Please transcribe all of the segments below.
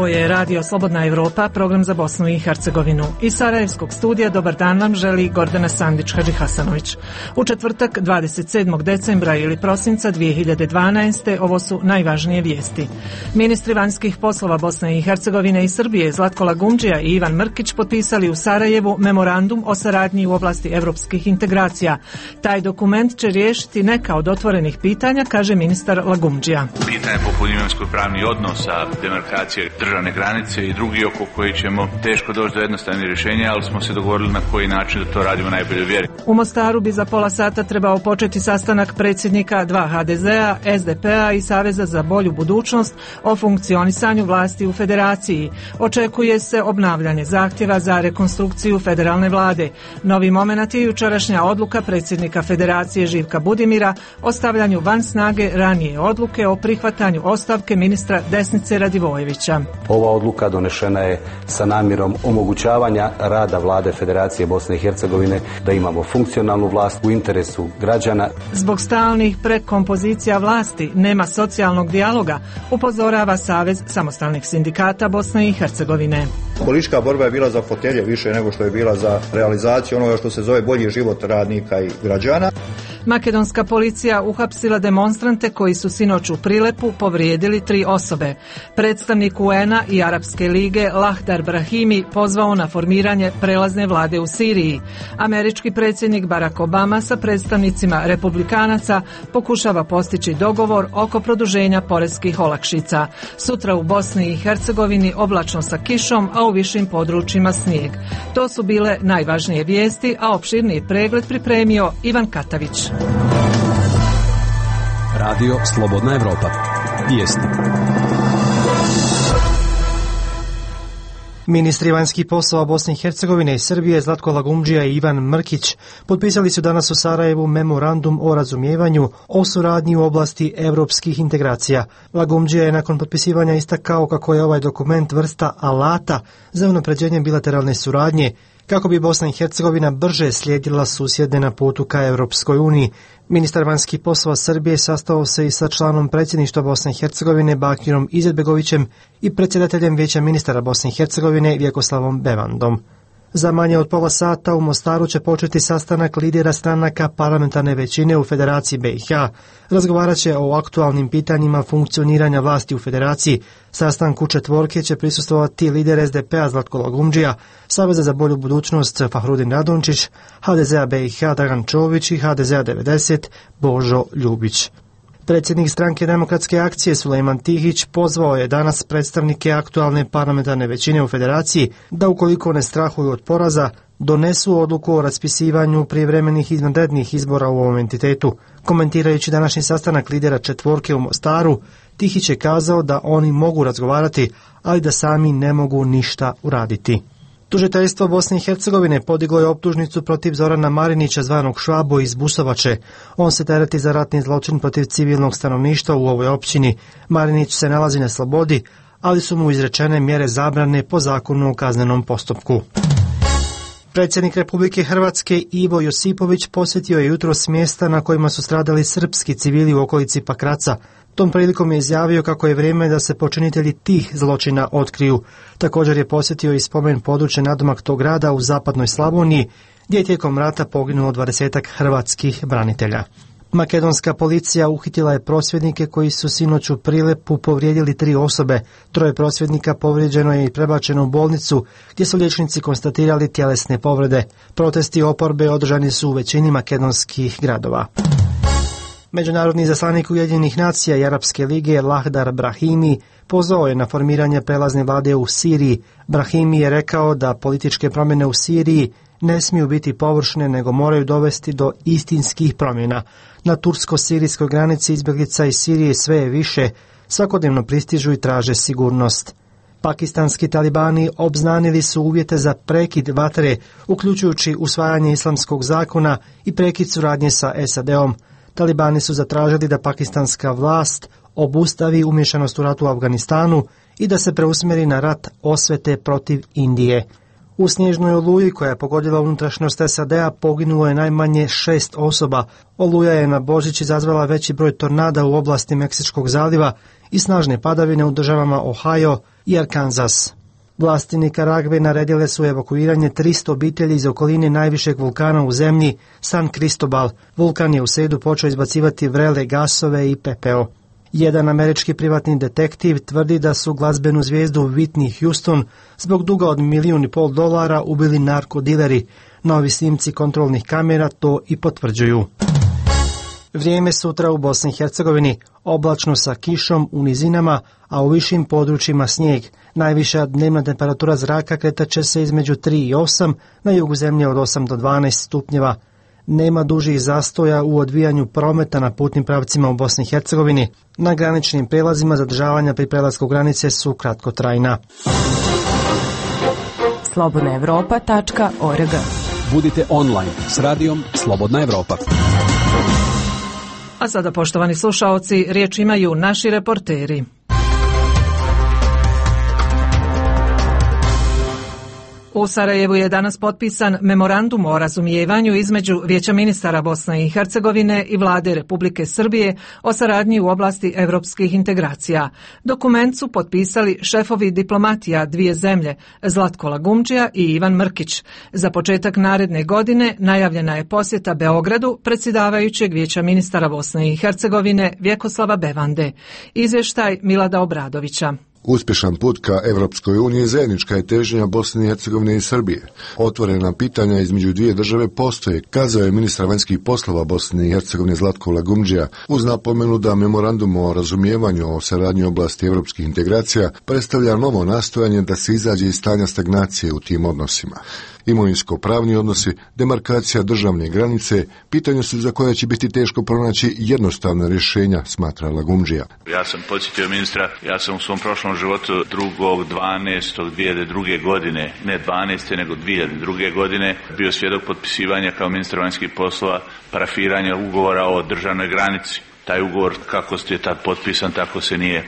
Ovo je Radio Slobodna Evropa, program za Bosnu i Hercegovinu. Iz Sarajevskog studija dobar dan vam želi Gordana Sandić-Hadži Hasanović. U četvrtak 27. decembra ili prosinca 2012. ovo su najvažnije vijesti. Ministri vanjskih poslova Bosne i Hercegovine i Srbije Zlatko Lagumdžija i Ivan Mrkić potpisali u Sarajevu memorandum o saradnji u oblasti evropskih integracija. Taj dokument će riješiti neka od otvorenih pitanja, kaže ministar Lagumdžija. Pitanje poput imovinsko-pravnih odnosa, demarkacije državne granice i drugi oko koji ćemo teško doći do jednostavnih rješenja, ali smo se dogovorili na koji način da to radimo najbolje vjeri. U Mostaru bi za pola sata trebao početi sastanak predsjednika dva HDZ-a, SDP-a i Saveza za bolju budućnost o funkcionisanju vlasti u federaciji. Očekuje se obnavljanje zahtjeva za rekonstrukciju federalne vlade. Novi momenat je jučerašnja odluka predsjednika Federacije Živka Budimira o stavljanju van snage ranije odluke o prihvatanju ostavke ministra Desnice Radivojevića. Ova odluka donešena je sa namjerom omogućavanja rada vlade Federacije Bosne i Hercegovine, da imamo funkcionalnu vlast u interesu građana. Zbog stalnih prekompozicija vlasti nema socijalnog dijaloga, upozorava Savez samostalnih sindikata Bosne i Hercegovine. Politička borba je bila za fotelje više nego što je bila za realizaciju onoga što se zove bolji život radnika i građana. Makedonska policija uhapsila demonstrante koji su sinoć u Prilepu povrijedili 3 osobe. Predstavnik UN-a i Arapske lige Lahdar Brahimi pozvao na formiranje prelazne vlade u Siriji. Američki predsjednik Barack Obama sa predstavnicima republikanaca pokušava postići dogovor oko produženja poreskih olakšica. Sutra u Bosni i Hercegovini oblačno sa kišom, a u višim područjima snijeg. To su bile najvažnije vijesti, a opširniji pregled pripremio Ivan Katavić. Radio Slobodna Evropa. Vijesti. Ministri vanjskih poslova Bosne i Hercegovine i Srbije Zlatko Lagumdžija i Ivan Mrkić potpisali su danas u Sarajevu memorandum o razumijevanju o suradnji u oblasti evropskih integracija. Lagumdžija je nakon potpisivanja istakao kako je ovaj dokument vrsta alata za unapređenje bilateralne suradnje, kako bi Bosna i Hercegovina brže slijedila susjedne na putu ka Europskoj uniji. Ministar vanjskih poslova Srbije sastao se i sa članom predsjedništva Bosne i Hercegovine Bakirom Izetbegovićem i predsjedateljem Vijeća ministara Bosne i Hercegovine Vjekoslavom Bevandom. Za manje od pola sata u Mostaru će početi sastanak lidera stranaka parlamentarne većine u Federaciji BiH. Razgovarat će o aktualnim pitanjima funkcioniranja vlasti u Federaciji. Sastanku četvorke će prisustvovati lider SDP-a Zlatko Lagumdžija, Saveza za bolju budućnost Fahrudin Radončić, HDZ-a BiH Dragan Čović i HDZ-a 90 Božo Ljubić. Predsjednik stranke Demokratske akcije Sulejman Tihić pozvao je danas predstavnike aktualne parlamentarne većine u Federaciji da ukoliko ne strahuju od poraza, donesu odluku o raspisivanju prijevremenih izvanrednih izbora u ovom entitetu. Komentirajući današnji sastanak lidera četvorke u Mostaru, Tihić je kazao da oni mogu razgovarati, ali da sami ne mogu ništa uraditi. Tužiteljstvo Bosne i Hercegovine podiglo je optužnicu protiv Zorana Marinića zvanog Švabo iz Busovače. On se tereti za ratni zločin protiv civilnog stanovništva u ovoj općini. Marinić se nalazi na slobodi, ali su mu izrečene mjere zabrane po zakonu o kaznenom postupku. Predsjednik Republike Hrvatske Ivo Josipović posjetio je jutros mjesta na kojima su stradali srpski civili u okolici Pakraca. Tom prilikom je izjavio kako je vrijeme da se počinitelji tih zločina otkriju. Također je posjetio i spomen područje nadomak tog grada u zapadnoj Slavoniji, gdje je tijekom rata poginulo 20-ak hrvatskih branitelja. Makedonska policija uhitila je prosvjednike koji su sinoć u Prilepu povrijedili 3 osobe. 3 prosvjednika povrijeđeno je i prebačeno u bolnicu, gdje su liječnici konstatirali tjelesne povrede. Protesti oporbe održani su u većini makedonskih gradova. Međunarodni izaslanik Ujedinjenih nacija i Arapske lige Lahdar Brahimi pozvao je na formiranje prelazne vlade u Siriji. Brahimi je rekao da političke promjene u Siriji ne smiju biti površne, nego moraju dovesti do istinskih promjena. Na tursko-sirijskoj granici izbjeglica iz Sirije sve je više, svakodnevno pristižu i traže sigurnost. Pakistanski talibani obznanili su uvjete za prekid vatre, uključujući usvajanje islamskog zakona i prekid suradnje sa SAD-om. Talibani su zatražili da pakistanska vlast obustavi umješanost u ratu u Afganistanu i da se preusmjeri na rat osvete protiv Indije. U snježnoj oluji koja je pogodila unutrašnjost SAD-a poginulo je najmanje 6 osoba. Oluja je na Božić izazvala veći broj tornada u oblasti Meksičkog zaliva i snažne padavine u državama Ohio i Arkansas. Vlasti Nikaragve naredile su evakuiranje 300 obitelji iz okoline najvišeg vulkana u zemlji, San Cristobal. Vulkan je u srijedu počeo izbacivati vrele gasove i pepeo. Jedan američki privatni detektiv tvrdi da su glazbenu zvijezdu Whitney Houston zbog duga od $1,5 miliona ubili narkodileri. Novi snimci kontrolnih kamera to i potvrđuju. Vrijeme sutra u Bosni i Hercegovini, oblačno sa kišom u nizinama, a u višim područjima snijeg. Najviša dnevna temperatura zraka kretat će se između 3 i 8, na jugu zemlje od 8 do 12 stupnjeva. Nema dužih zastoja u odvijanju prometa na putnim pravcima u Bosni i Hercegovini. Na graničnim prelazima zadržavanja pri prelasku granice su kratkotrajna. slobodnaevropa.org. Budite online s radijom Slobodna Evropa. A sada, poštovani slušaoci, riječ imaju naši reporteri. U Sarajevu je danas potpisan memorandum o razumijevanju između Vijeća ministara Bosne i Hercegovine i Vlade Republike Srbije o saradnji u oblasti europskih integracija. Dokument su potpisali šefovi diplomatija dvije zemlje, Zlatko Lagumdžija i Ivan Mrkić. Za početak naredne godine najavljena je posjeta Beogradu predsjedavajućeg Vijeća ministara Bosne i Hercegovine Vjekoslava Bevande. Izvještaj Milada Obradovića. Uspješan put ka Evropskoj uniji zajednička je težnja Bosne i Hercegovine i Srbije. Otvorena pitanja između dvije države postoje, kazao je ministar vanjskih poslova Bosne i Hercegovine Zlatko Lagumdžija, uz napomenu da memorandum o razumijevanju o saradnji u oblasti evropskih integracija predstavlja novo nastojanje da se izađe iz stanja stagnacije u tim odnosima. Imovinsko-pravni odnosi, demarkacija državne granice, pitanja su za koja će biti teško pronaći jednostavna rješenja, smatra Lagumdžija. Ja sam podsjetio ministra, ja sam u svom prošlom životu 2.12.2002. godine, ne 12. nego 2002. godine, bio svjedok potpisivanja kao ministar vanjskih poslova parafiranja ugovora o državnoj granici. Taj ugovor, kako je tad potpisan, tako se nije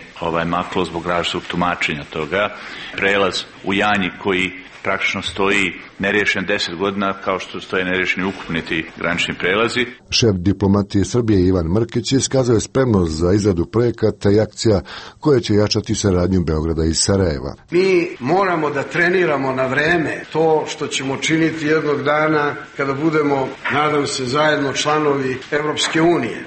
maklo zbog različitog tumačenja toga. Prelaz u Janji koji praktično stoji neriješen 10 godina, kao što stoje neriješeni ukupni ti granični prelazi. Šef diplomatije Srbije Ivan Mrkić iskazao je spremnost za izradu projekata i akcija koje će jačati saradnju Beograda i Sarajeva. Mi moramo da treniramo na vreme to što ćemo činiti jednog dana kada budemo, nadam se, zajedno članovi Evropske unije.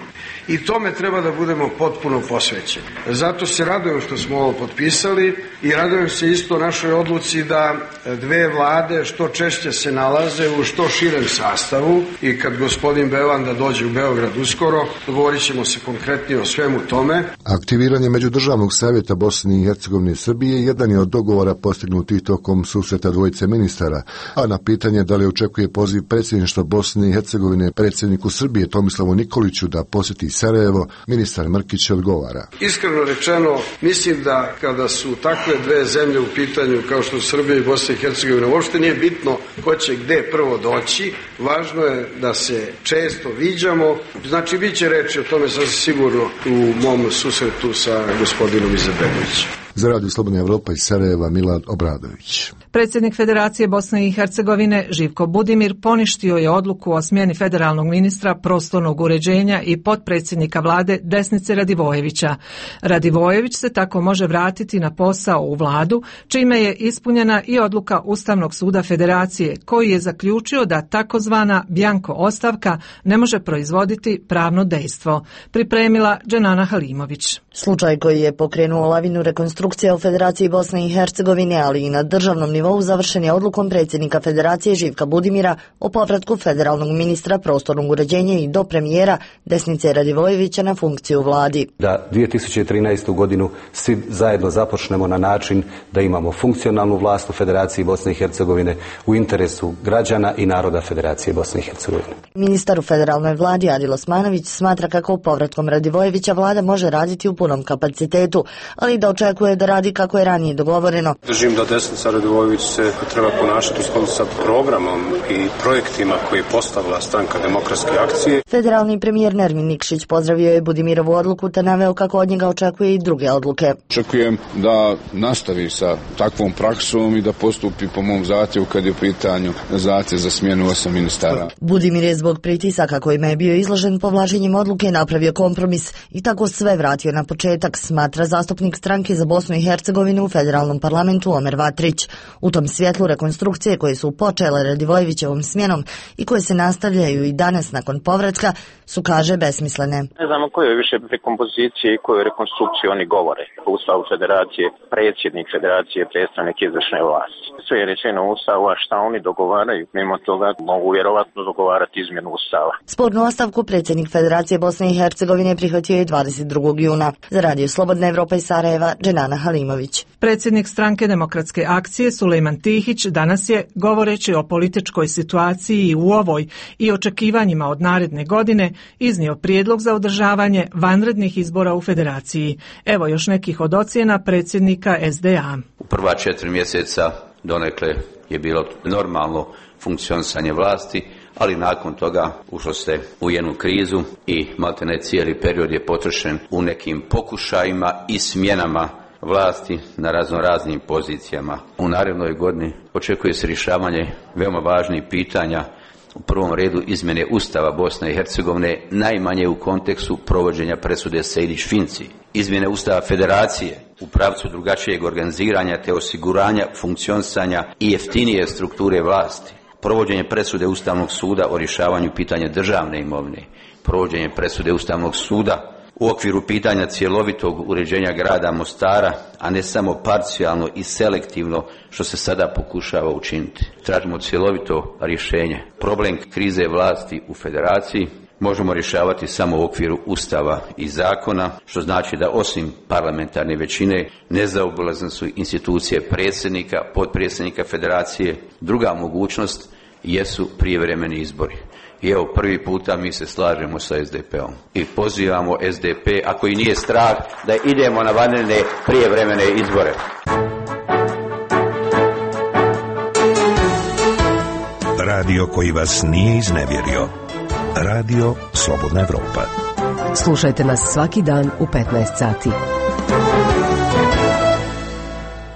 I tome treba da budemo potpuno posvećeni. Zato se radujem što smo ovo potpisali i radujem se isto našoj odluci da dve vlade što češće se nalaze u što širem sastavu i kad gospodin Bevanda dođe u Beograd uskoro, dogovorit ćemo se konkretnije o svemu tome. Aktiviranje Međudržavnog savjeta Bosne i Hercegovine i Srbije jedan je od dogovora postignutih tokom susreta dvojice ministara, a na pitanje da li očekuje poziv predsjedništva Bosne i Hercegovine predsjedniku Srbije Tomislavu Nikoliću da posjeti Sarajevo, ministar Mrkić odgovara. Iskreno rečeno, mislim da kada su takve dve zemlje u pitanju kao što su Srbija i Bosna i Hercegovina, uopšte nije bitno ko će gde prvo doći, važno je da se često viđamo, znači bit će reći o tome sasvim sigurno u mom susretu sa gospodinom Izetbegovićem. Za Radio Slobodna Evropa iz Sarajeva, Milad Obradović. Predsjednik Federacije Bosne i Hercegovine Živko Budimir poništio je odluku o smjeni federalnog ministra prostornog uređenja i potpredsjednika vlade Desnice Radivojevića. Radivojević se tako može vratiti na posao u vladu, čime je ispunjena i odluka Ustavnog suda Federacije, koji je zaključio da takozvana bjanko ostavka ne može proizvoditi pravno dejstvo. Pripremila Dženana Halimović. Slučaj koji je pokrenuo lavinu rekonstrukcija u Federaciji Bosne i Hercegovine, ali i na državnom nivou, završen je odlukom predsjednika Federacije Živka Budimira o povratku federalnog ministra prostornog uređenja i do premijera Desnice Radivojevića na funkciju u vladi. Da 2013. godinu svi zajedno započnemo na način da imamo funkcionalnu vlast u Federaciji Bosne i Hercegovine u interesu građana i naroda Federacije Bosne i Hercegovine. Ministar u federalnoj vladi Adil Osmanović smatra kako povratkom Radivojevića vlada može raditi u punom kapacitetu, ali da očekuje je da radi kako je ranije dogovoreno. Držim da Desnica Radojević se treba ponašati u skladu sa programom i projektima koje je postavila Stranka demokratske akcije. Federalni premijer Nermin Nikšić pozdravio je Budimirovu odluku te naveo kako od njega očekuje i druge odluke. Očekujem da nastavi sa takvom praksom i da postupi po mom zahtjevu kad je u pitanju zahtjev za smjenu 8 ministara. Budimir je zbog pritisaka kojima je bio izložen povlačenjem odluke napravio kompromis i tako sve vratio na početak, smatra zastupnik Stranke za Bosnu i Hercegovinu u federalnom parlamentu Omer Vatrić. U tom svjetlu rekonstrukcije koje su počele Radivojevićevom smjenom i koje se nastavljaju i danas nakon povratka su, kaže, besmislene. Ne znamo koje je više rekompozicije i koje rekonstrukcije oni govore. U Ustavu federacije, predsjednik federacije, predstavnik izvršne vlasti. Sve je rečeno u Ustavu, a šta oni dogovaraju? Mimo toga mogu vjerovatno dogovarati izmjenu Ustava. Spornu ostavku predsjednik Federacije Bosne i Hercegovine prihvatio je 22. juna. Za Radio Slobodna Evropa iz Sarajeva, Dženana Halimović. Predsjednik Stranke demokratske akcije Sulejman Tihić danas je, govoreći o političkoj situaciji u ovoj i očekivanjima od naredne godine, iznio prijedlog za održavanje vanrednih izbora u Federaciji. Evo još nekih od ocjena predsjednika SDA. U prva 4 mjeseca donekle je bilo normalno funkcionisanje vlasti, ali nakon toga ušlo se u jednu krizu i maltene cijeli period je potrošen u nekim pokušajima i smjenama vlasti na raznoraznim pozicijama. U narednoj godini očekuje se rješavanje veoma važnih pitanja, u prvom redu izmjene Ustava Bosne i Hercegovine, najmanje u kontekstu provođenja presude Sejdić-Finci, izmjene Ustava Federacije u pravcu drugačijeg organiziranja te osiguranja funkcionisanja i jeftinije strukture vlasti, provođenje presude Ustavnog suda o rješavanju pitanja državne imovine, provođenje presude Ustavnog suda u okviru pitanja cjelovitog uređenja grada Mostara, a ne samo parcijalno i selektivno što se sada pokušava učiniti. Tražimo cjelovito rješenje. Problem krize vlasti u Federaciji možemo rješavati samo u okviru Ustava i zakona, što znači da osim parlamentarne većine nezaobilazne su institucije predsjednika, potpredsjednika Federacije. Druga mogućnost jesu prijevremeni izbori. I evo, prvi puta mi se slažemo sa SDP-om i pozivamo SDP, ako i nije strah, da idemo na vanredne prijevremene izbore. Radio koji vas nije iznevjerio. Radio Slobodna Evropa. Slušajte nas svaki dan u 15 sati.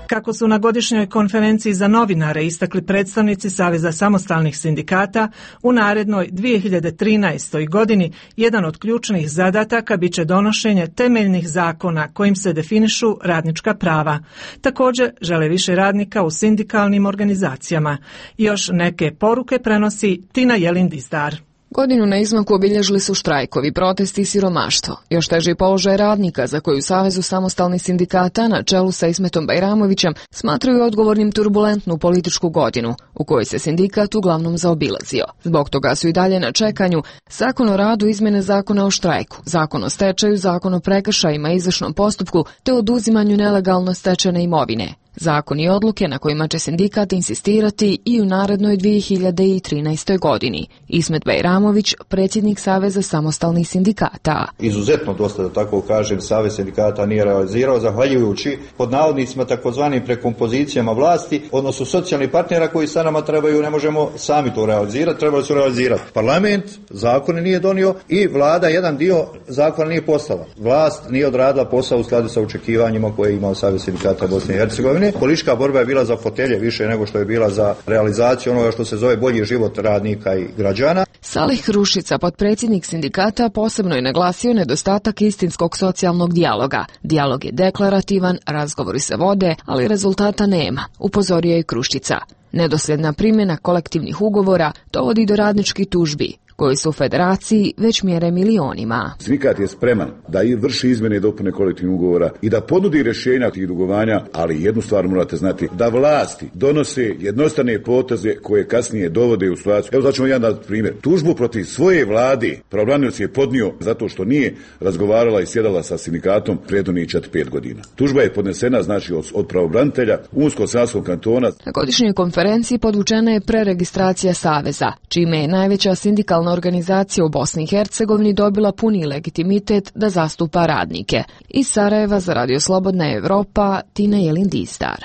Kako su na godišnjoj konferenciji za novinare istakli predstavnici Saveza samostalnih sindikata, u narednoj 2013. godini jedan od ključnih zadataka biće donošenje temeljnih zakona kojim se definišu radnička prava. Također žele više radnika u sindikalnim organizacijama. Još neke poruke prenosi Tina Jelin-Dizdar. Godinu na izmaku obilježili su štrajkovi, protesti i siromaštvo. Još teži položaj radnika za koju Savezu samostalnih sindikata na čelu sa Ismetom Bajramovićem smatraju odgovornim turbulentnu političku godinu u kojoj se sindikat uglavnom zaobilazio. Zbog toga su i dalje na čekanju Zakon o radu, izmjene Zakona o štrajku, Zakon o stečaju, Zakon o prekršajima i izvršnom postupku te oduzimanju nelegalno stečene imovine. Zakon i odluke na kojima će sindikat insistirati i u narednoj 2013. godini. Ismet Bajramović, predsjednik Saveza samostalnih sindikata. Izuzetno dosta, da tako kažem, Savez sindikata nije realizirao, zahvaljujući pod navodnicima takozvanim prekompozicijama vlasti, odnosno socijalnih partnera koji sa nama trebaju, ne možemo sami to realizirati, trebali su realizirati. Parlament zakone nije donio i vlada jedan dio zakona nije poslala. Vlast nije odradila posao u skladu sa očekivanjima koje je imao Savez sindikata Bosne i Hercegovine. Politička borba je bila za fotelje više nego što je bila za realizaciju onoga što se zove bolji život radnika i građana. Salih Rušica, potpredsjednik sindikata, posebno je naglasio nedostatak istinskog socijalnog dijaloga. Dijalog je deklarativan, razgovori se vode, ali rezultata nema, upozorio je Kruščica. Nedosljedna primjena kolektivnih ugovora dovodi do radničkih tužbi, koji su u Federaciji već mjere milionima. Sindikat je spreman da vrši izmjene i dopune kolektivnih ugovora i da ponudi rješenja tih dugovanja, ali jednu stvar morate znati, da vlasti donose jednostavne poteze koje kasnije dovode u situaciju. Evo znači jedan primjer. Tužbu protiv svoje vlade pravobranioc je podnio zato što nije razgovarala i sjedala sa sindikatom prethodnih 4-5 godina. Tužba je podnesena znači od pravobranitelja Unsko-Sanskog kantona. Na godišnjoj konferenciji podvučena je preregistracija Saveza, čime je najveća sindikalna sindikalna organizacija u Bosni i Hercegovini dobila puni legitimitet da zastupa radnike. Iz Sarajeva za Radio Slobodna Evropa, Tina Jelindistar.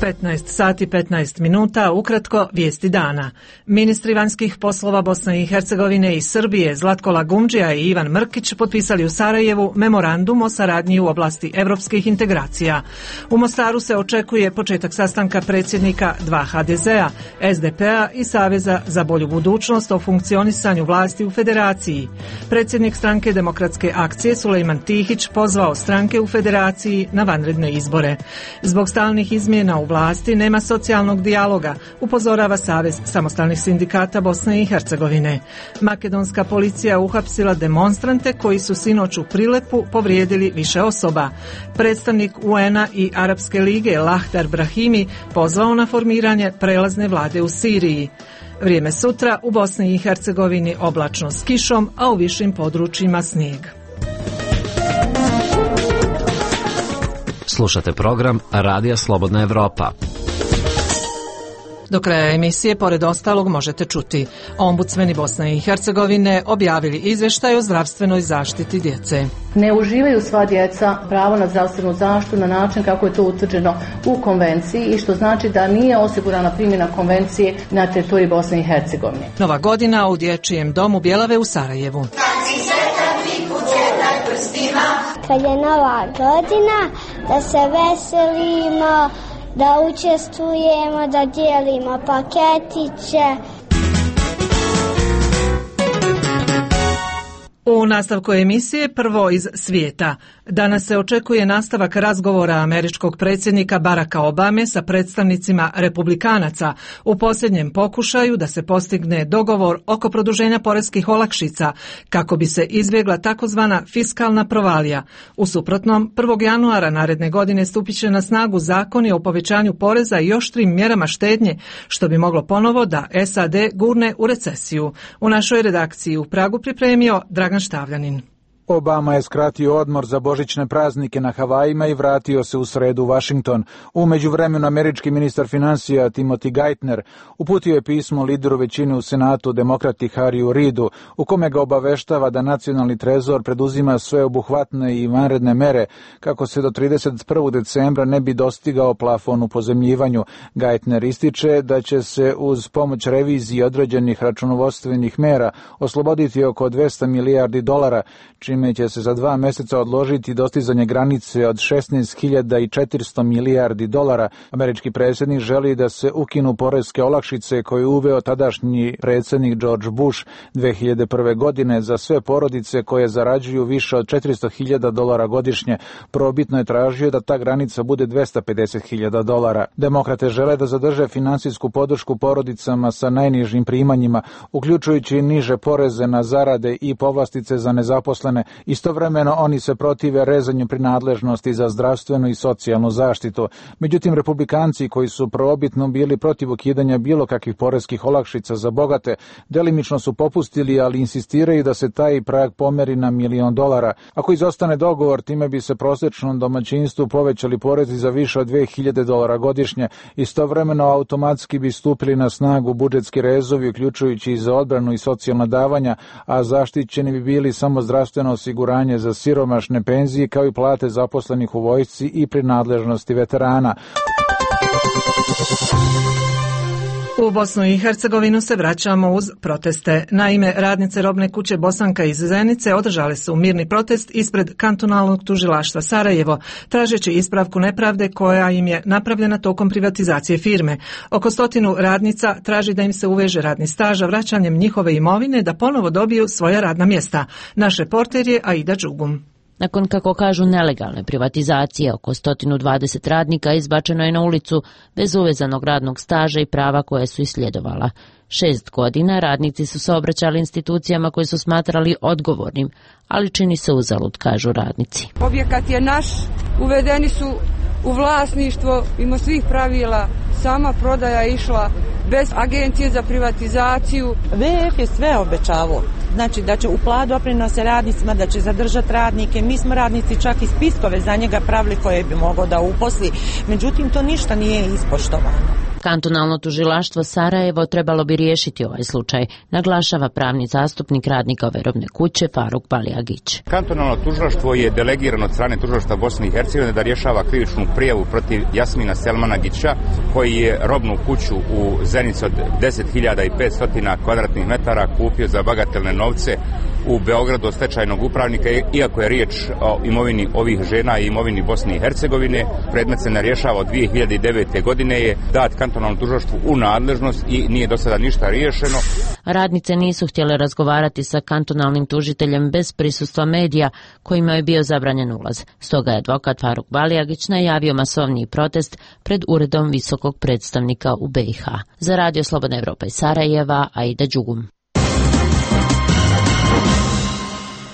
15 sati 15 minuta, ukratko vijesti dana. Ministri vanjskih poslova Bosne i Hercegovine i Srbije Zlatko Lagumdžija i Ivan Mrkić potpisali u Sarajevu memorandum o saradnji u oblasti evropskih integracija. U Mostaru se očekuje početak sastanka predsjednika 2 HDZ-a, SDP-a i Saveza za bolju budućnost o funkcionisanju vlasti u federaciji. Predsjednik stranke Demokratske akcije Sulejman Tihić pozvao stranke u federaciji na vanredne izbore. Zbog stalnih izmjena u vlasti nema socijalnog dijaloga, upozorava Savez samostalnih sindikata Bosne i Hercegovine. Makedonska policija uhapsila demonstrante koji su sinoć u Prilepu povrijedili više osoba. Predstavnik UN-a i Arapske lige Lahtar Brahimi pozvao na formiranje prelazne vlade u Siriji. Vrijeme sutra u Bosni i Hercegovini oblačno s kišom, a u višim područjima snijeg. Slušate program Radija Slobodna Evropa. Do kraja emisije, pored ostalog, možete čuti: ombudsmeni Bosne i Hercegovine objavili izvještaj o zdravstvenoj zaštiti djece. Ne uživaju sva djeca pravo na zdravstvenu zaštitu na način kako je to utvrđeno u konvenciji i što znači da nije osigurana primjena konvencije na teritoriji Bosne i Hercegovine. Nova godina u Dječjem domu Bjelave u Sarajevu. Kad je nova godina, da se veselimo, da učestvujemo, da dijelimo paketiće. U nastavku emisije prvo iz svijeta. Danas se očekuje nastavak razgovora američkog predsjednika Baracka Obame sa predstavnicima republikanaca u posljednjem pokušaju da se postigne dogovor oko produženja poreskih olakšica kako bi se izbjegla takozvana fiskalna provalija. U suprotnom, 1. januara naredne godine stupit će na snagu zakoni o povećanju poreza i oštrim mjerama štednje, što bi moglo ponovo da SAD gurne u recesiju. U našoj redakciji u Pragu pripremio Dragan Štavljanin. Obama je skratio odmor za božićne praznike na Havajima i vratio se u sredu u Washington. U međuvremenu američki ministar financija Timothy Geithner uputio je pismo lideru većine u Senatu, demokrati Harryu Reidu, u kome ga obaveštava da nacionalni trezor preduzima sveobuhvatne i vanredne mere kako se do 31. decembra ne bi dostigao plafon u pozemljivanju. Geithner ističe da će se uz pomoć revizije određenih računovodstvenih mera osloboditi oko $200 milijardi, čime će se za 2 mjeseca odložiti dostizanje granice od $16.400 milijardi. Američki predsjednik želi da se ukinu poreske olakšice koje je uveo tadašnji predsjednik George Bush 2001. godine za sve porodice koje zarađuju više od $400.000 godišnje. Probitno je tražio da ta granica bude $250.000. Demokrate žele da zadrže finansijsku podršku porodicama sa najnižim primanjima, uključujući niže poreze na zarade i povlastice za nezaposlene. Istovremeno oni se protive rezanju prinadležnosti za zdravstvenu i socijalnu zaštitu. Međutim, republikanci koji su prvobitno bili protiv ukidanja bilo kakvih poreskih olakšica za bogate, delimično su popustili, ali insistiraju da se taj prag pomeri na $1 milion. Ako izostane dogovor, time bi se prosječnom domaćinstvu povećali porezi za više od $2.000 godišnje. Istovremeno automatski bi stupili na snagu budžetski rezovi, uključujući i za odbranu i socijalna davanja, a zaštićeni bi bili samo zdravstveno osiguranje za siromašne, penzije kao i plate zaposlenih u vojsci i prinadležnosti veterana. U Bosnu i Hercegovinu se vraćamo uz proteste. Naime, radnice robne kuće Bosanka iz Zenice održale su mirni protest ispred kantonalnog tužilaštva Sarajevo, tražeći ispravku nepravde koja im je napravljena tokom privatizacije firme. Oko 100 radnica traži da im se uveže radni staž, a vraćanjem njihove imovine da ponovo dobiju svoja radna mjesta. Naš reporter je Aida Đugum. Nakon, kako kažu, nelegalne privatizacije, oko 120 radnika izbačeno je na ulicu bez uvezanog radnog staža i prava koje su isljedovala. 6 godina radnici su se obraćali institucijama koje su smatrali odgovornim, ali čini se uzalud, kažu radnici. Objekat je naš, uvedeni su u vlasništvo, mimo svih pravila, sama prodaja je išla bez agencije za privatizaciju. VF je sve obećavao, znači da će uplatiti doprinose radnicima, da će zadržati radnike. Mi smo radnici čak i spiskove za njega pravili koje bi mogao da uposli, međutim to ništa nije ispoštovano. Kantonalno tužilaštvo Sarajevo trebalo bi riješiti ovaj slučaj, naglašava pravni zastupnik radnika ove robne kuće Faruk Balijagić. Kantonalno tužilaštvo je delegirano od strane tužilaštva Bosne i Hercegovine da rješava krivičnu prijavu protiv Jasmina Selmanagića, koji je robnu kuću u Zenici od 10.500 kvadratnih metara kupio za bagatelne novce u Beogradu od stečajnog upravnika, iako je riječ o imovini ovih žena i imovini Bosne i Hercegovine. Predmet se ne rješava od 2009. godine, je dat kantonalnom tužilaštvu u nadležnost i nije do sada ništa riješeno. Radnice nisu htjele razgovarati sa kantonalnim tužiteljem bez prisustva medija, kojima je bio zabranjen ulaz. Stoga je advokat Faruk Balijagić najavio masovniji protest pred uredom visokog predstavnika u BiH. Za Radio Slobodna Evropa iz Sarajeva, Aida Đugum.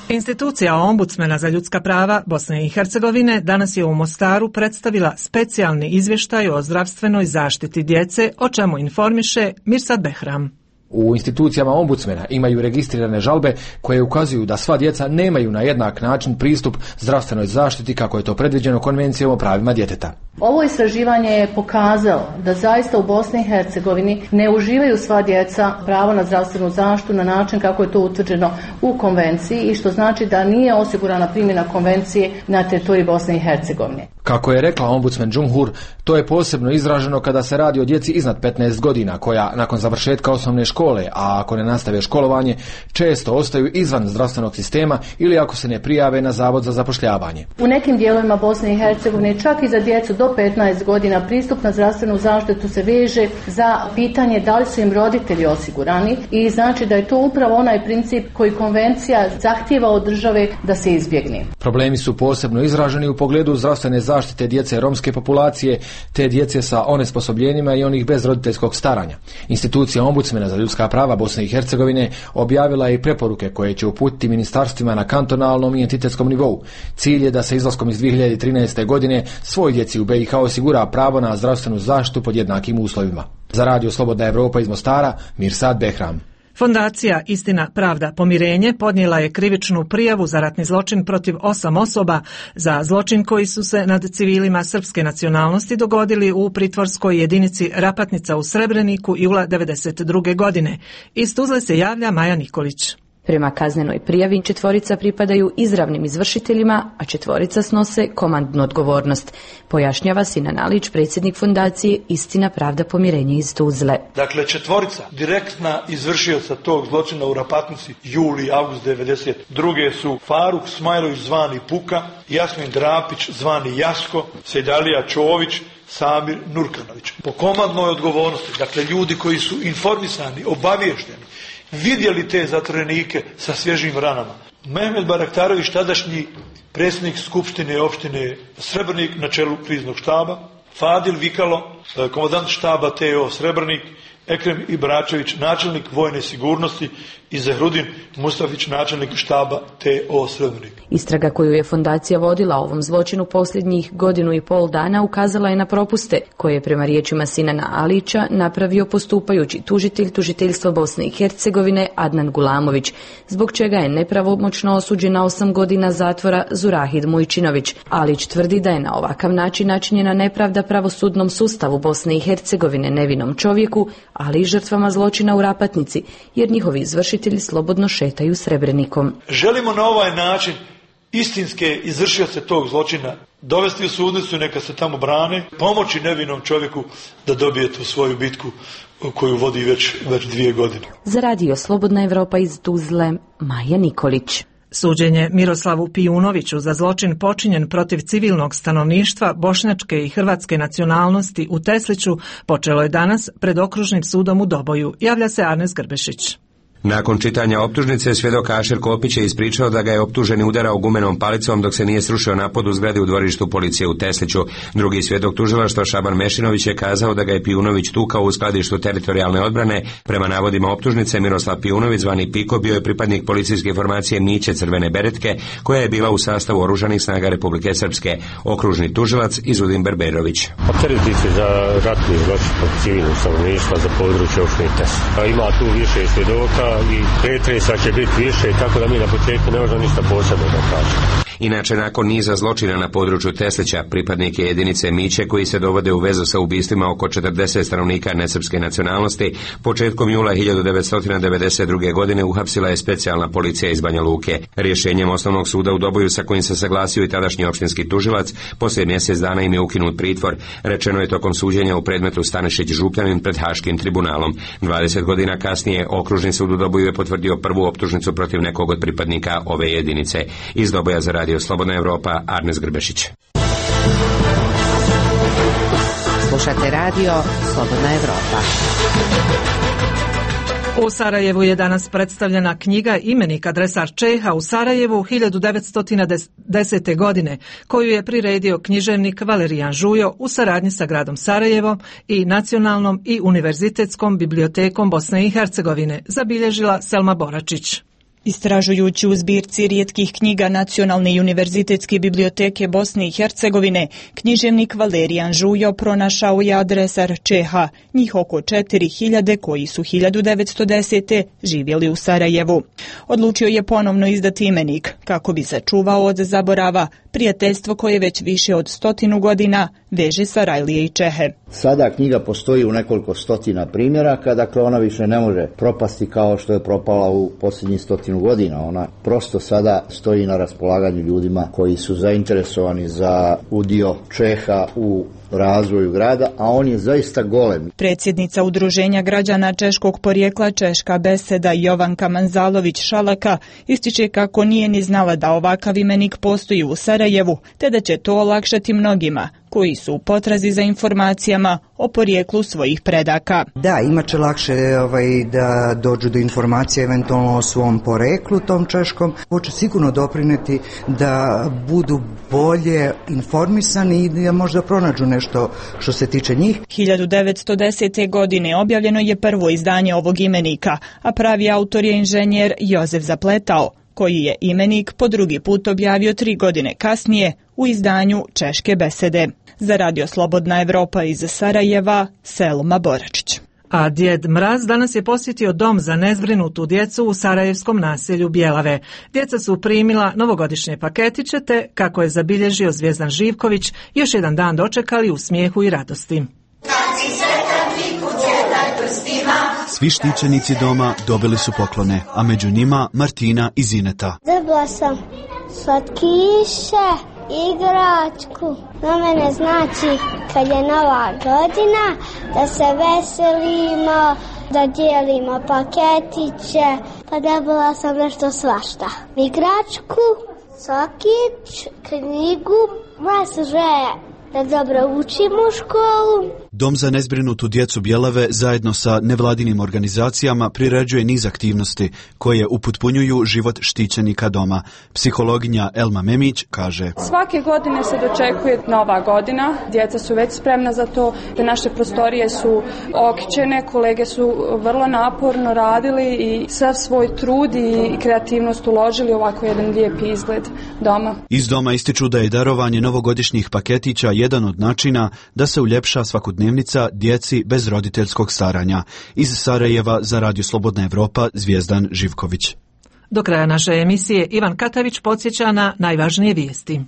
Institucija ombudsmena za ljudska prava Bosne i Hercegovine danas je u Mostaru predstavila specijalni izvještaj o zdravstvenoj zaštiti djece, o čemu informiše Mirsad Behram. U institucijama ombudsmena imaju registrirane žalbe koje ukazuju da sva djeca nemaju na jednak način pristup zdravstvenoj zaštiti kako je to predviđeno Konvencijom o pravima djeteta. Ovo istraživanje je pokazalo da zaista u Bosni i Hercegovini ne uživaju sva djeca pravo na zdravstvenu zaštitu na način kako je to utvrđeno u konvenciji i što znači da nije osigurana primjena konvencije na teritoriji Bosne i Hercegovine. Kako je rekla ombudsman Džumhur, to je posebno izraženo kada se radi o djeci iznad 15 godina koja nakon završetka osnovne škole, a ako ne nastave školovanje, često ostaju izvan zdravstvenog sistema ili ako se ne prijave na Zavod za zapošljavanje. U nekim dijelovima Bosne i Hercegovine čak i za djecu do 15 godina pristup na zdravstvenu zaštitu se veže za pitanje da li su im roditelji osigurani i znači da je to upravo onaj princip koji konvencija zahtijeva od države da se izbjegne. Problemi su posebno izraženi u pogledu zdravstvene zaštite djece romske populacije te djece sa onesposobljenjima i onih bez roditeljskog staranja. Institucija ombudsmena za ljudska prava Bosne i Hercegovine objavila je i preporuke koje će uputiti ministarstvima na kantonalnom i entitetskom nivou. Cilj je da se izlaskom iz 2013. godine svoj djeci u BiH osigura pravo na zdravstvenu zaštitu pod jednakim uslovima. Za Radio Slobodna Evropa iz Mostara, Mirsad Behram. Fondacija Istina, pravda, pomirenje podnijela je krivičnu prijavu za ratni zločin protiv 8 osoba za zločin koji su se nad civilima srpske nacionalnosti dogodili u pritvorskoj jedinici Rapatnica u Srebreniku jula 1992. godine. Iz Tuzle se javlja Maja Nikolić. Prema kaznenoj prijavi 4 pripadaju izravnim izvršiteljima, a 4 snose komandnu odgovornost, pojašnjava Sinan Alić, predsjednik fondacije Istina, pravda, pomirenje iz Tuzle. Dakle, 4 direktna izvršioca tog zločina u Rapatnici juli i avgust 1992. su Faruk Smajlović zvani Puka, Jasmin Drapić zvani Jasko, Sejdalija Čović, Samir Nurkanović. Po komandnoj odgovornosti, dakle ljudi koji su informisani, obavješteni, vidjeli te zatvorenike sa svježim ranama. Mehmed Baraktarović, tadašnji predsjednik Skupštine opštine Srebrnik na čelu kriznog štaba, Fadil Vikalo, komandant štaba TO Srebrnik, Ekrem Ibračević, načelnik vojne sigurnosti i Zehrudin Mustafić, načelnik štaba TO Srebrnik. Istraga koju je fondacija vodila o ovom zločinu posljednjih 1,5 dana ukazala je na propuste koje je prema riječima Sinana Alića napravio postupajući tužitelj tužiteljstva Bosne i Hercegovine Adnan Gulamović, zbog čega je nepravomoćno osuđen na 8 godina zatvora Zurahid Mujčinović. Alić tvrdi da je na ovakav način načinjena nepravda pravosudnom sustavu Bosne i Hercegovine, nevinom čovjeku, ali i žrtvama zločina u Rapatnici, jer njihovi izvršitelji slobodno šetaju Srebrenikom. Želimo na ovaj način istinske izvršioce tog zločina dovesti u sudnicu, neka se tamo brane, pomoći nevinom čovjeku da dobije tu svoju bitku koju vodi već 2 godine. Za Radio Slobodna Evropa iz Tuzle, Maja Nikolić. Suđenje Miroslavu Pijunoviću za zločin počinjen protiv civilnog stanovništva bošnjačke i hrvatske nacionalnosti u Tesliću počelo je danas pred okružnim sudom u Doboju, javlja se Arnes Grbešić. Nakon čitanja optužnice, svjedok Ašer Kopić je ispričao da ga je optuženi udarao gumenom palicom dok se nije srušio napad u zgradi u dvorištu policije u Tesliću. Drugi svjedok tužilaštva Šaban Mešinović je kazao da ga je Pijunović tukao u skladištu teritorijalne odbrane. Prema navodima optužnice, Miroslav Pijunović, zvani Piko, bio je pripadnik policijske formacije Miće Crvene beretke, koja je bila u sastavu oružanih snaga Republike Srpske. Okružni tužilac Izudin Berberović. Opteretiti se za ratni zločin protiv civilnog stanovništva za područje opštine Tesla. Ima tu više svjedoka i pretresa će biti više, tako da mi na početku ne možemo ništa posebno da kažemo. Inače, nakon niza zločina na području Teslića, pripadnike jedinice Miće koji se dovode u vezu sa ubistvima oko 40 stanovnika nesrpske nacionalnosti, početkom jula 1992. godine uhapsila je specijalna policija iz Banja Luke. Rješenjem Osnovnog suda u Doboju, sa kojim se saglasio i tadašnji opštinski tužilac, poslije mjesec dana im je ukinut pritvor, rečeno je tokom suđenja u predmetu Stanišić-Župljanin pred Haškim tribunalom. 20 godina kasnije Okružni sud u Doboju je potvrdio prvu optužnicu protiv nekog od pripadnika ove jedinice. Iz Doboja za Radio Slobodna Evropa, Arnes Grbešić. Slušate Radio Slobodna Evropa. U Sarajevu je danas predstavljena knjiga Imenik adresar Čeha u Sarajevu 1910. godine, koju je priredio književnik Valerijan Žujo u saradnji sa gradom Sarajevom i Nacionalnom i Univerzitetskom bibliotekom Bosne i Hercegovine, zabilježila Selma Boračić. Istražujući u zbirci rijetkih knjiga Nacionalne i Univerzitetske biblioteke Bosne i Hercegovine, književnik Valerijan Žujo pronašao je adresar Čeha, njih oko 4000 koji su 1910. živjeli u Sarajevu. Odlučio je ponovno izdati imenik, kako bi sačuvao od zaborava prijateljstvo koje već više od 100 godina veže Sarajlije i Čehe. Sada knjiga postoji u nekoliko stotina primjeraka, dakle ona više ne može propasti kao što je propala u posljednjih 100 godina. Ona prosto sada stoji na raspolaganju ljudima koji su zainteresovani za udio Čeha u razvoju grada, a on je zaista golem. Predsjednica Udruženja građana češkog porijekla Češka beseda Jovanka Manzalović-Šalaka ističe kako nije ni znala da ovakav imenik postoji u Sarajevu, te da će to olakšati mnogima koji su u potrazi za informacijama o porijeklu svojih predaka. Da, imat će lakše da dođu do informacija eventualno o svom poreklu tom češkom. Hoće sigurno doprineti da budu bolje informisani i da možda pronađu nešto što se tiče njih. 1910. godine objavljeno je prvo izdanje ovog imenika, a pravi autor je inženjer Jozef Zapletao, koji je imenik po drugi put objavio 3 godine kasnije u izdanju Češke besede. Za Radio Slobodna Evropa iz Sarajeva, Selma Boračić. A Djed Mraz danas je posjetio dom za nezbrinutu djecu u sarajevskom naselju Bjelave. Djeca su primila novogodišnje paketiće te, kako je zabilježio Zvijezdan Živković, još jedan dan dočekali u smijehu i radosti. Svi štićenici doma dobili su poklone, a među njima Martina i Zineta. Dobila sam slatkiše, igračku. Na mene znači kad je nova godina da se veselimo, da dijelimo paketiće. Pa dobila sam nešto svašta. Igračku, sokić, knjigu, sve. Da dobro učimo u školu. Dom za nezbrinutu djecu Bjelave zajedno sa nevladinim organizacijama priređuje niz aktivnosti koje upotpunjuju život štićenika doma. Psihologinja Elma Memić kaže: Svake godine se dočekuje nova godina, djeca su već spremna za to, te naše prostorije su okićene, kolege su vrlo naporno radili i sav svoj trud i kreativnost uložili ovako jedan lijepi izgled doma. Iz doma ističu da je darovanje novogodišnjih paketića jedan od načina da se uljepša svakodnevnica djeci bez roditeljskog staranja. Iz Sarajeva za Radio Slobodna Evropa, Zvijezdan Živković. Do kraja naše emisije Ivan Katavić podsjeća na najvažnije vijesti.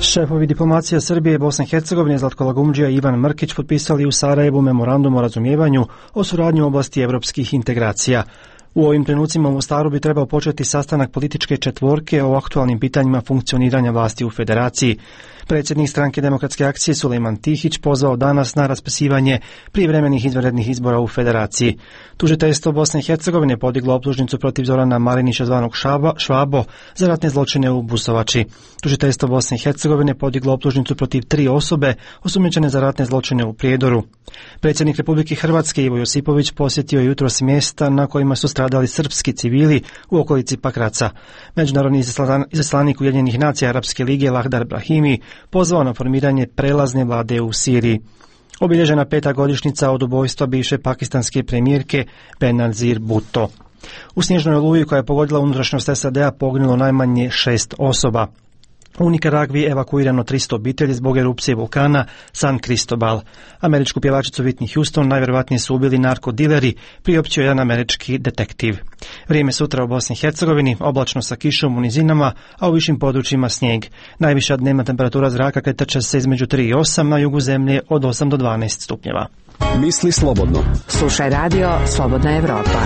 Šefovi diplomacija Srbije, Bosne i Hercegovine, Zlatko Lagumdžija i Ivan Mrkić potpisali u Sarajevu memorandum o razumijevanju o suradnji u oblasti evropskih integracija. U ovim trenucima u Mostaru bi trebao početi sastanak političke četvorke o aktualnim pitanjima funkcioniranja vlasti u federaciji. Predsjednik stranke Demokratske akcije Sulejman Tihić pozvao danas na raspisivanje prijevremenih izvanrednih izbora u federaciji. Tužiteljstvo Bosne i Hercegovine podiglo optužnicu protiv Zorana Marinića zvanog Švabo za ratne zločine u Busovači. Tužiteljstvo Bosne i Hercegovine podiglo optužnicu protiv 3 osobe osumnjičene za ratne zločine u Prijedoru. Predsjednik Republike Hrvatske Ivo Josipović posjetio je jutros mjesta na kojima su stradali srpski civili u okolici Pakraca. Međunarodni izaslanik Ujedinjenih nacija Arapske lige Lahdar Brahimi pozvao na formiranje prelazne vlade u Siriji. Obilježena 5. godišnjica od ubojstva bivše pakistanske premijerke Benazir Bhutto. U snježnoj oluji koja je pogodila unutrašnjost SAD-a poginulo najmanje 6 osoba. U Nikaragvi evakuirano 300 obitelji zbog erupcije vulkana San Cristobal. Američku pjevačicu Whitney Houston najvjerojatnije su ubili narkodileri, priopćio jedan američki detektiv. Vrijeme sutra u Bosni i Hercegovini, oblačno sa kišom u nizinama, a u višim područjima snijeg. Najviša dnevna temperatura zraka kretat će se između 3 i 8, na jugu zemlje od 8 do 12 stupnjeva. Misli slobodno. Slušaj radio Slobodna Evropa.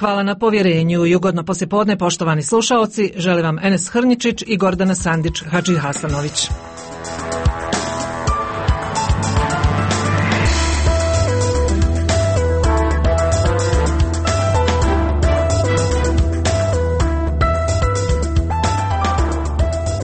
Hvala na povjerenju i ugodno poslijepodne, poštovani slušaoci. Želim vam Enes Hrničić i Gordana Sandić Hadži Hasanović.